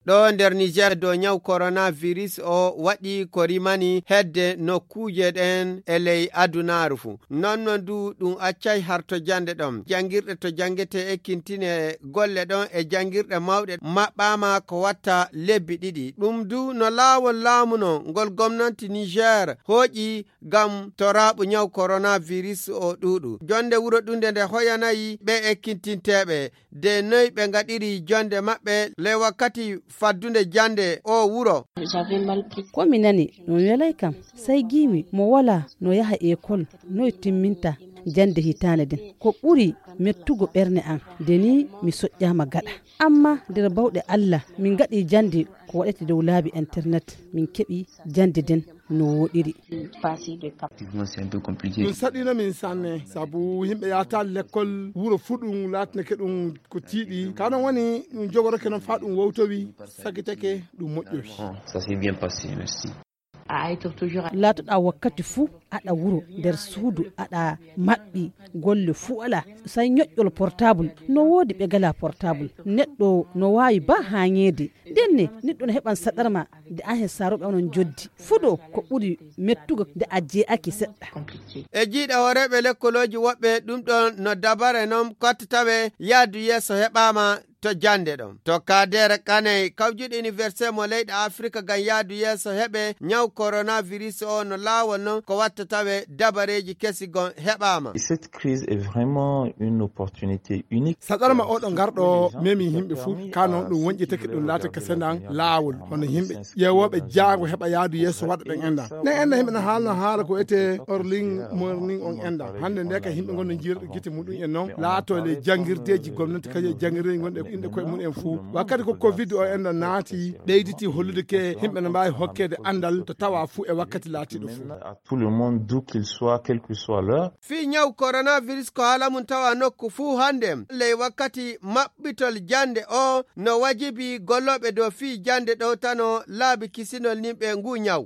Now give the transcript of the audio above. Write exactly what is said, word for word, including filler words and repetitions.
Ɗo nder Niger, dow ñaw coronavirus o waɗi ko rimani hedde nokkuuje ɗen e ley adunaaru fuu. Non non du ɗum accay harto jannde ɗon. Janngirɗe to janngetee ekkintinee golle ɗon e janngirɗe mawɗe maɓɓaama ko watta lebbi ɗiɗi. Ɗum du no laawol laamu non ngol gomnanti Niger hooƴi ngam toraaɓu ñaw coronavirus o ɗuuɗu. Jonnde wuro ɗunde nde hoyanayi ɓe ekkintinteeɓe de noy ɓe ngaɗiri jonnde maɓɓe ley wakkati faddunde jannde o wuro. Ko mi nani no welay kam, sai giimi mo wala no yaha ekol, noy timminta jannde hitaande den. Ko ɓuri mettugo ɓerne an, de ni mi soƴƴaama gaɗa. Amma nder bawɗe Allah, min ngaɗi jannde ko waɗete dow laabi internet, min keɓi jannde den no woɗiri. Ɗum saɗino min sanne, sabu yimɓe yahata lekkol, wuro fuu ɗum laatinake ɗum ko tiiɗi. Ka non woni ɗum jogoroke non faa ɗum wowtowi, sakitake, ɗum moƴƴowi. Laatoɗaa wakkati fuu aɗa wuro nder suudu, aɗa maɓɓi, golle fuu alaa. Sai ñoƴƴol portable, no woodi ɓe galaa portable. Neɗɗo no waawi ba haañeede. Ndenne, neɗɗo no heɓan saɗarma de an he saarooɓe onon joddi. Fuɗo ko ɓuri mettugo nde a jee'aki seɗɗa. E jiiɗa hooreeɓe lekkolooji woɓɓe, ɗum ɗon no dabare non kottatawe yaadu yeeso heɓaama to jannde ɗon. To Kader Kaney, kawjuɗo université mo leyɗe Afrika ngam yaadu yeeso heɓe ñaw coronavirus o, no laawol non ko wattatawe dabareeji kesi gon heɓaama. Cette crise est vraiment une opportunité unique. Saɗarma oɗo ngarɗo memi yimɓe fuu, ka non ɗum wonƴitake ɗum laata ka sendan laawol, hono yimɓe ƴeewooɓe jaango heɓa yaadu yeeso waɗa ɗen endan. Ɗen endan yimɓe no haalno haala ko etee early morning on endan. Hannde nde ka yimɓe ngon no jiirɗo gite muɗum en non laato le janngirdeeji gomnati kañum e janngirdeeji gonɗe inɗe koye mum en fuu. Wakkati ko covid o endan naati, ɓeyditi hollude ke yimɓe no mbaawi hokkeede anndal to tawa fuu e wakkati laatiiɗo fuu. Tout le monde, d'où qu'il soit, quel que soit l'heure. Fii ñaw coronavirus ko haala mum tawa nokku fuu hannde. Ley wakkati maɓɓitol jannde o, no wajibi gollooɓe dow fii jannde ɗowtano laabi kisinol nimɓe nguu ñaw.